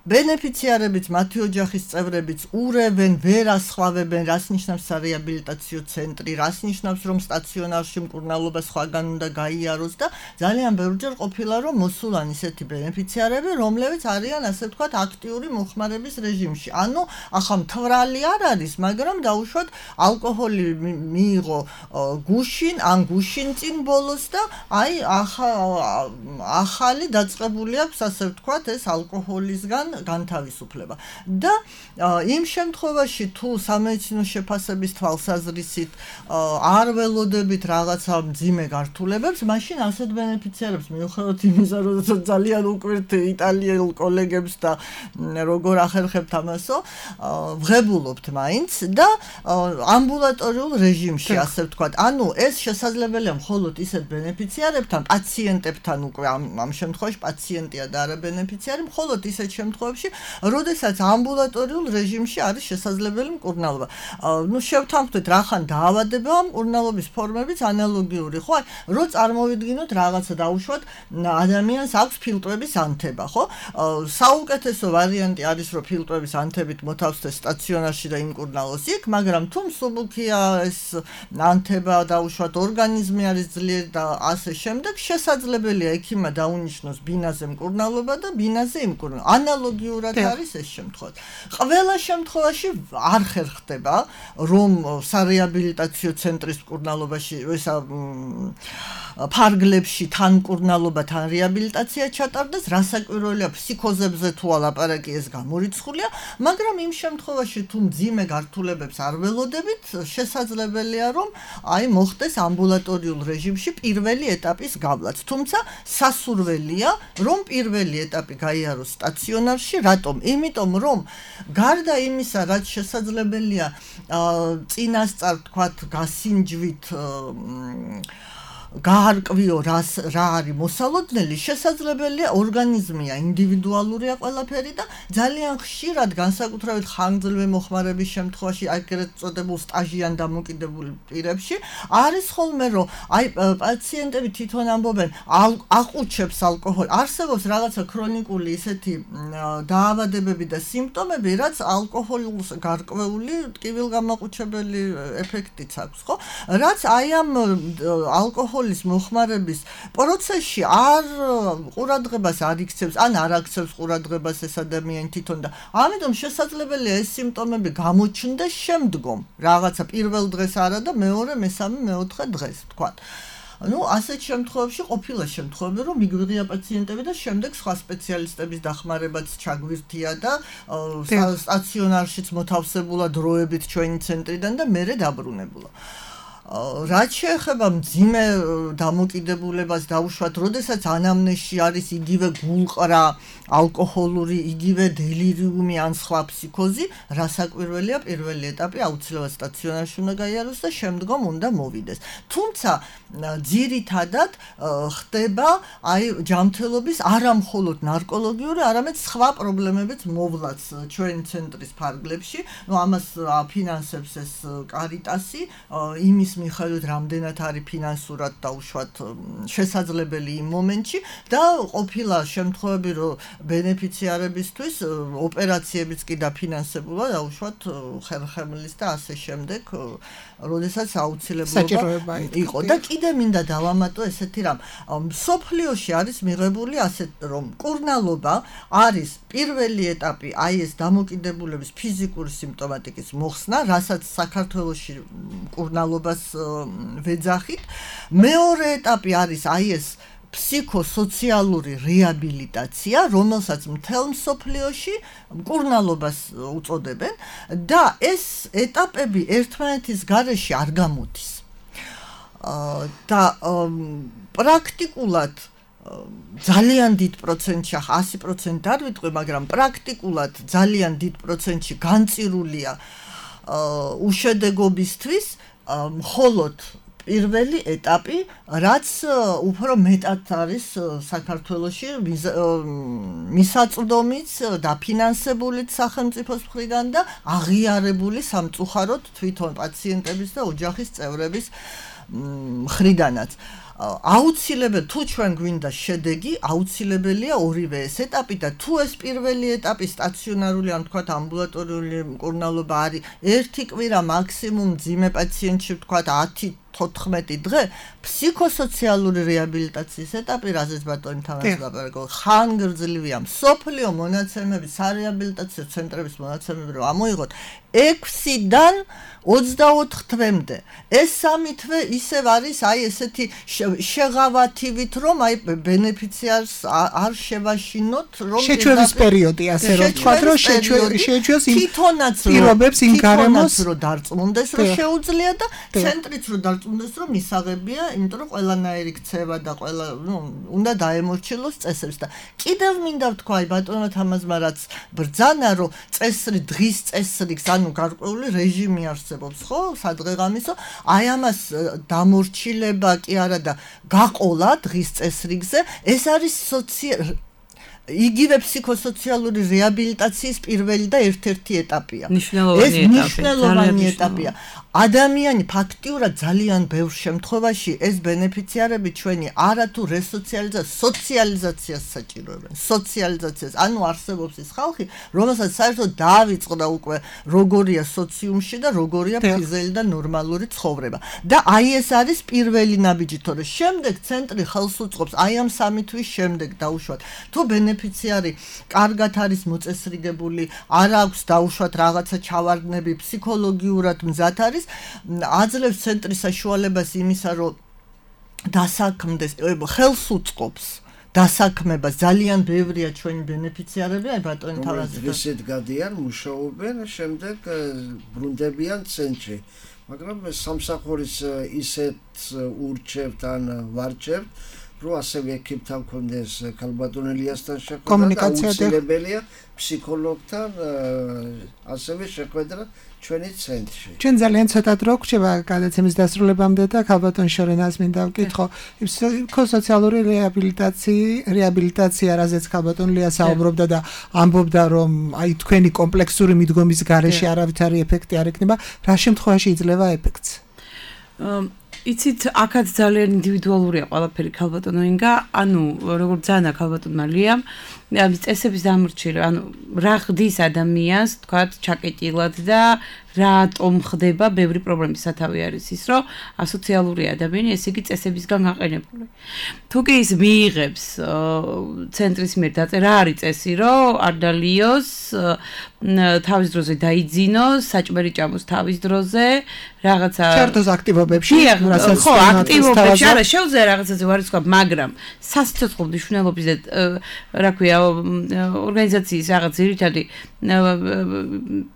ბენეფიციარებიც, მათი ოჯახის წევრებიც ურევენ, ვერ ასხვავებენ, რას ნიშნავს სარეაბილიტაციო ცენტრი, რას ნიშნავს, რომ სტაციონარში მკურნალობა სხვაგან უნდა გაიაროს და ძალიან ბევრჯერ ყოფილა, რომ მოსულან ისეთი ბენეფიციარები, რომლებიც არიან, ასე ვთქვათ, აქტიური მოხმარების რეჟიმში. ანუ, ახლა მთვრალი არ არის, მაგრამ დაუშვათ ალკოჰოლი მიიღო გუშინ, ან გუშინ წინ ბოლოს და აი ახალი დაწყებული აქვს, ასე ვთქვათ, ეს ალკოჰოლისგან განთავისუფლება. და იმ შემთხვევაში თუ სამედიცინო შეფასების თვალსაზრისით არ ველოდებით რაღაცა მძიმე გართულებებს, მაშინ ასეთ ბენეფიციარებს მიუხედავად იმისა, რომ ძალიან უკვირთ იტალიელ კოლეგებს და როგორ ახერხებთ ამასო, ვღებულობთ მაინც და ამბულატორიულ რეჟიმში, ასე ვთქვათ. ანუ ეს შესაძლებელია მხოლოდ ისეთ ბენეფიციარებთან, პაციენტებთან უკვე ამ შემთხვევაში პაციენტია და არა ბენეფიციარი, მხოლოდ ისეთ შემთხვევაში როდესაც ამბულატორიულ რეჟიმში არის შესაძლებელი მკურნალობა. ნუ შევთანხმდეთ რახან დაავადება, მკურნალობის ფორმებიც ანალოგიური, ხო? რო წარმოვიდგინოთ რაღაცა დაუშვათ, ადამიანს აქვს ფილტვების ანთება, ხო? საუკეთესო ვარიანტი არის, რომ ფილტვების ანთებით მოთავსდეს სტაციონარში და იმკურნალოს იქ, მაგრამ თუ მსუბუქია ეს ანთება, დაუშვათ, ორგანიზმი არის ძლიერი და ასე შემდეგ, შესაძლებელია ექიმმა დაუნიშნოს ბინაზე მკურნალობა და ბინაზე იმკურნალობა. ანალოგიურად არის ეს შემთხვევა. ყველა შემთხვევაში არ ხერხდება, რომ სარეაბილიტაციო ცენტრის მკურნალობაში, ესა ფარგლებში თან მკურნალობა, თან რეაბილიტაცია ჩატარდეს, რასაკვირველია ფსიქოზებზე თუ ალაპარაკი ეს გამორიცხულია, მაგრამ იმ შემთხვევაში თუ მძიმე გართულებებს არ ველოდებით, შესაძლებელია, რომ აი მოხდეს ამბულატორიულ რეჟიმში პირველი ეტაპის გავლაც. თუმცა სასურველია, რომ პირველი ეტაპი გაიაროს სტაციონარში, რატომ? იმიტომ რომ გარდა იმისა, რაც შესაძლებელია წინასწარ თქვათ გასინჯვით გაარკვიო რას რა არის მოსალოდნელი, შესაძლებელია ორგანიზმია ინდივიდუალურია ყველაფერი და ძალიან ხშირად განსაკუთრებით ხანგრძლივი მოხმარების შემთხვევაში, აგრეთ წოდებულ სტაჟიან დამოკიდებულ პირებში არის ხოლმე რომ აი პაციენტები თვითონ ამბობენ აყუჩებს ალკოჰოლი, არსებობს რაღაცა ქრონიკული ისეთი დაავადებები და სიმპტომები, რაც ალკოჰოლს გარკვეული ტკივილგამაყუჩებელი ეფექტიც აქვს, ხო? რაც აი ამ ალკოჰოლ ალკოჰოლის მოხმარების პროცესში არ ყურადღებას არ იქცევს, ან არ აქცევს ყურადღებას ეს ადამიანი თვითონ და ამიტომ შესაძლებელია ეს სიმპტომები გამოჩნდეს შემდგომ, რაღაცა პირველ დღეს არა და მეორე, მესამე, მეოთხე დღეს, ვთქვათ. ну ასეთ შემთხვევებში ყოფილა შემთხვევები რომ მიგვიღია პაციენტები და შემდეგ სხვა სპეციალისტების დახმარებაც ჩაგვირთია და სტაციონარშიც მოთავსებულა დროებით ჩვენი ცენტრიდან და მერე დაბრუნებულა. რაც შეეხება მძიმე დამოკიდებულებას დაუშვათ, როდესაც ანამნეზში არის იგივე გულყრა, ალკოჰოლური, იგივე დელირიუმი ან სხვა ფსიქოზი, რასაკვირველია პირველი ეტაპი აუცილებლად სტაციონარში უნდა გაიაროს და შემდგომ უნდა მოვიდეს. თუმცა ძირითადად ხდება აი ჯანმრთელობის არა მხოლოდ ნარკოლოგიური, არამედ სხვა პრობლემებიც მოვლაც ჩვენი ცენტრის ფარგლებში. ну ამას ფინანსებს ეს კარიტასი, იმის მიხედვით რამდენად არის ფინანსურად დაუშვათ შესაძლებელი იმ მომენტში და ყოფილა შემთხვევები რომ ბენეფიციარებისთვის ოპერაციებიც კი დაფინანსებულა დაუშვათ ხერხემლის და ასე შემდეგ, როდესაც აუცილებლობა იყო და კიდე მინდა დავამატო ესეთი რამ, მსოფლიოში არის მიღებული ასეთ რომ მკურნალობა არის პირველი ეტაპი აი ეს დამოკიდებულების ფიზიკური სიმპტომატიკის მოხსნა, რასაც საქართველოში მკურნალობას ვეძახით. მეორე ეტაპი არის აი ეს ფსიქოსოციალური რეაბილიტაცია, რომელსაც მთელ მსოფლიოში მკურნალობას უწოდებენ და ეს ეტაპები ერთმანეთის გარეშე არ გამოდის. და პრაქტიკულად ძალიან დიდ პროცენტში, ასი პროცენტი არ ვიტყვი, მაგრამ პრაქტიკულად ძალიან დიდ პროცენტში განწირულია უშედეგობისთვის მხოლოდ პირველი ეტაპი, რაც უფრო მეტად არის საქართველოში მისაწვდომიც და ფინანსებულიც სახელმწიფოს მხრიდან და აღიარებული სამწუხაროდ თვითონ პაციენტების და ოჯახის წევრების მხრიდანაც. აუცილებელი თუ ჩვენ გვინდა შედეგი, აუცილებელია ორივე ეს ეტაპი და თუ ეს პირველი ეტაპი სტაციონარული ან თქვათ ამბულატორიული მკურნალობა არის ერთი კვირა მაქსიმუმ მძიმე პაციენტში ვთქვათ ათი თოთხმეტი დღე, ფსიქოსოციალური რეაბილიტაციის ეტაპი, რაზეც ბატონი თამაში ლაპარაკო, ხანგრძლივია. მსოფლიო მონაცემები, სარეაბილიტაციო ცენტრების მონაცემები რომ ამოიღოთ, ექვსიდან ოცდაოთხ თვემდე. ეს სამი თვე ისევ არის აი ესეთი შეღავათივით, რომ აი ბენეფიციარს არ შევაშინოთ, რომ შეჩვევის პერიოდი, ასე რომ ვთქვათ, რომ შეჩვევს იმ პირობებს იმ გარემოს, რომ დარწმუნდეს, რომ შეუძლია და ცენტრიც რომ დარწმუნდეს, რომ მისაღებია, იმიტომ რომ ყველანაირი ქცევა და ყველა, ნუ, უნდა დაემორჩილოს წესებს და კიდევ მინდა ვთქვა აი ბატონმა თამაზმა რაც ბრძანა, რომ წესრი დღის წესრიგს, ანუ გარკვეული რეჟიმი არსებობს, ხო, სადღეღამისო, აი ამას დამორჩილება კი არა და გაყოლა დღის წესრიგზე, ეს არის სოციალური იგივე ფსიქოსოციალური რეაბილიტაციის პირველი და ერთ-ერთი ეტაპია. ეს მნიშვნელოვანი ეტაპია. ადამიანი ფაქტიურად ძალიან ბევრ შემთხვევაში ეს ბენეფიციარები ჩვენი არათუ რესოციალიზაციას, სოციალიზაციას საჭიროებენ. სოციალიზაციას, ანუ არსებობს ის ხალხი, რომელსაც საერთოდ დაავიწყდა უკვე როგორია სოციუმში და როგორია ფიზიოლოგიური და ნორმალური ცხოვრება. და აი ეს არის პირველი ნაბიჯი, თორე შემდეგ ცენტრი ხელს უწყობს აი ამ სამი თვის შემდეგ დაუშვათ. თუ ბენეფიციარი კარგად არის მოწესრიგებული, არ აქვს დაუშვათ რაღაცა ჩავარდნები, ფსიქოლოგიურად მზად არის, აძლევს ცენტრის საშუალებას იმისა, რომ დასაქმდეს, ხელს უწყობს დასაქმებას. ძალიან ბევრია ჩვენი ბენეფიციარები, აი ბატონი თავაზი. ისეთ გადიან, მუშაობენ, შემდეგ ბრუნდებიან ცენტრში. მაგრამ სამსახურის ისეთ ურჩევთ ან ვარჩევთ, რომ ასევე ექიმთან მქონდეს ქალბატონ ელიასთან შეხვედრა, აუცილებელია ფსიქოლოგთან ასევე შეხვედრა ჩვენი ცენტრში. ჩვენ ძალიან ცოტა დრო გვჭირდება გადაცემის დასრულებამდე და ქალბატონ შორენას მინდა ვკითხო, ფსიქოსოციალური რეაბილიტაცია, რეაბილიტაცია, რაზეც ქალბატონ ლია საუბრობდა და ამბობდა, რომ აი თქვენი კომპლექსური მიდგომის გარეშე არავითარი ეფექტი არ ექნება, რა შემთხვევაში იძლევა ეფექტს? იცით, აქაც ძალიან ინდივიდუალურია ყველაფერი ქალბატონო ინგა, ანუ როგორც ძანა ქალბატონმა ლიამ, წესების დამორჩილება, ანუ რა ხდის ადამიანს, თქვათ, ჩაკეტილად და რატომ ხდება ბევრი პრობლემის სათავე არის ის, რომ ასოციალური ადამიანი, ესე იგი წესებისგან გაყენებული. თუ კი ის მიიღებს ცენტრის მიერ დაწერა, რა არის წესი, რომ არ დალიოს, თავის დროზე დაიძინოს, საჭმელი ჭამოს თავის დროზე, რაღაცა ჩართოს აქტივობებში, რასაც ხო, აქტივობებში, არა, შეუძლია რაღაცაზე ვარისკვლავ, მაგრამ სასიცოცხლო მნიშვნელობის და რა ქვია, ორგანიზაციის რაღაც ძირითადი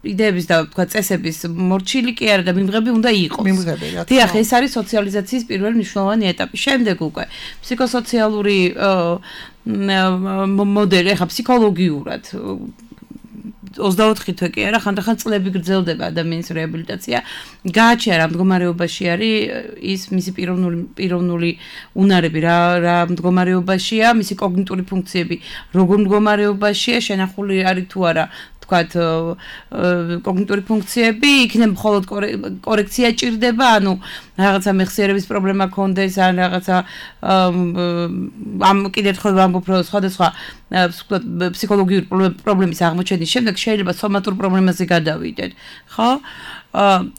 იდეების და თქვა წესების მორჩილი კი არა და მიმღები უნდა იყოს. მიმღები, რა თქმა უნდა. დიახ, ეს არის სოციალიზაციის პირველი მნიშვნელოვანი ეტაპი. შემდეგ უკვე ფსიქოსოციალური მოდელი, ახლა ფსიქოლოგიურად ოცდაოთხი თვე კი არა, ხანდახან წლები გრძელდება ადამიანის რეაბილიტაცია. გააჩნია რა მდგომარეობაში არის ის მისი პიროვნული პიროვნული უნარები, რა რა მდგომარეობაშია, მისი კოგნიტური ფუნქციები, როგორ მდგომარეობაშია, შენახული არის თუ არა თქვათ კოგნიტური ფუნქციები, იქნებ მხოლოდ კორექცია ჭირდება, ანუ რაღაცა მეხსიერების პრობლემა ქონდეს, ან რაღაცა ამ კიდევ ერთხელ ვამბობ, რომ სხვადასხვა ფსიქოლოგიური პრობლემის აღმოჩენის შემდეგ შეიძლება სომატურ პრობლემაზე გადავიდეთ, ხო?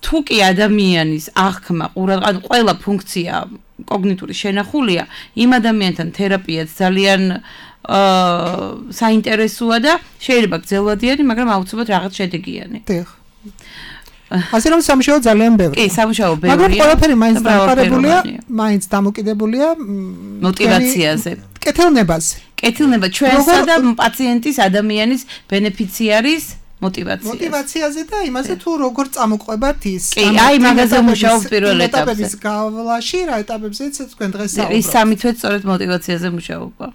თუ კი ადამიანის აღქმა, ანუ ყველა ფუნქცია კოგნიტური შენახულია, იმ ადამიანთან თერაპიაც ძალიან აა საინტერესოა და შეიძლება გრძელვადიანი, მაგრამ აუცილებლად რაღაც შედეგიანი. დიახ. ასე რომ სამუშაო ძალიან ბევრია. კი, სამუშაო ბევრია. მაგრამ ყველაფერი მაინც დამყარებულია, მაინც დამოკიდებულია мотивациაზე. კეთილნებაზე. კეთილნება ჩვენსა და პაციენტის ადამიანის ბენეფიციარის мотивация. мотивациაზე და იმაზე თუ როგორ წამოყვებათ ის. კი, აი მაგაზე მუშაობ პირველ ეტაპზე. ეტაპების გავლაში, რა ეტაპებზეც თქვენ დღეს საუბრობთ. ის სამი თვე სწორედ мотивациაზე მუშაობა.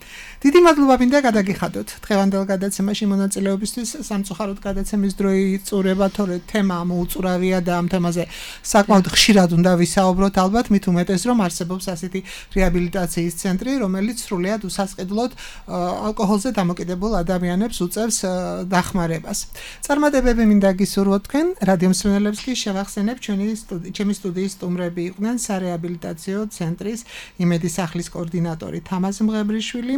დიდი მადლობა მინდა გადაგიხადოთ დღევანდელ გადაცემაში მონაწილეობისთვის. სამწუხაროდ გადაცემის დრო იწურება, თორე თემა მოუწურავია და ამ თემაზე საკმაოდ ხშირად უნდა ვისაუბროთ ალბათ, მით უმეტეს რომ არსებობს ასეთი რეაბილიტაციის ცენტრი, რომელიც სრულიად უსასყიდლოდ ალკოჰოლზე დამოკიდებულ ადამიანებს უწევს დახმარებას. წარმატებები მინდა გისურვოთ თქვენ რადიო მსმენელებს კი შევახსენებ ჩვენი ჩემი სტუდიის სტუმრები იყვნენ სარეაბილიტაციო ცენტრის იმედის სახლის კოორდინატორი თამაზ მღებრიშვილი,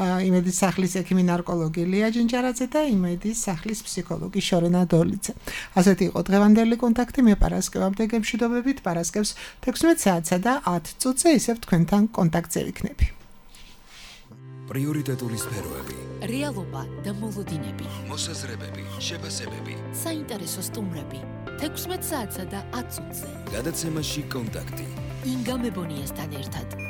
იმედის სახლის ექიმი ნარკოლოგი ლია ჯინჯარაძე და იმედის სახლის ფსიქოლოგი შორენა დოლიძე. ასეთი იყო დღევანდელი კონტაქტი. მე პარასკევამდე გემშვიდობებით, პარასკევს თექვსმეტ საათსა და ათ წუთზე ისევ თქვენთან კონტაქტზე ვიქნები. პრიორიტეტული სფეროები, რეალობა და მოლოდინები, მოსაზრებები, შეფასებები, საინტერესო სტუმრები, თექვსმეტ საათსა და ათ წუთზე. გადაცემაში კონტაქტი. ინგა მებონიასთან ერთად.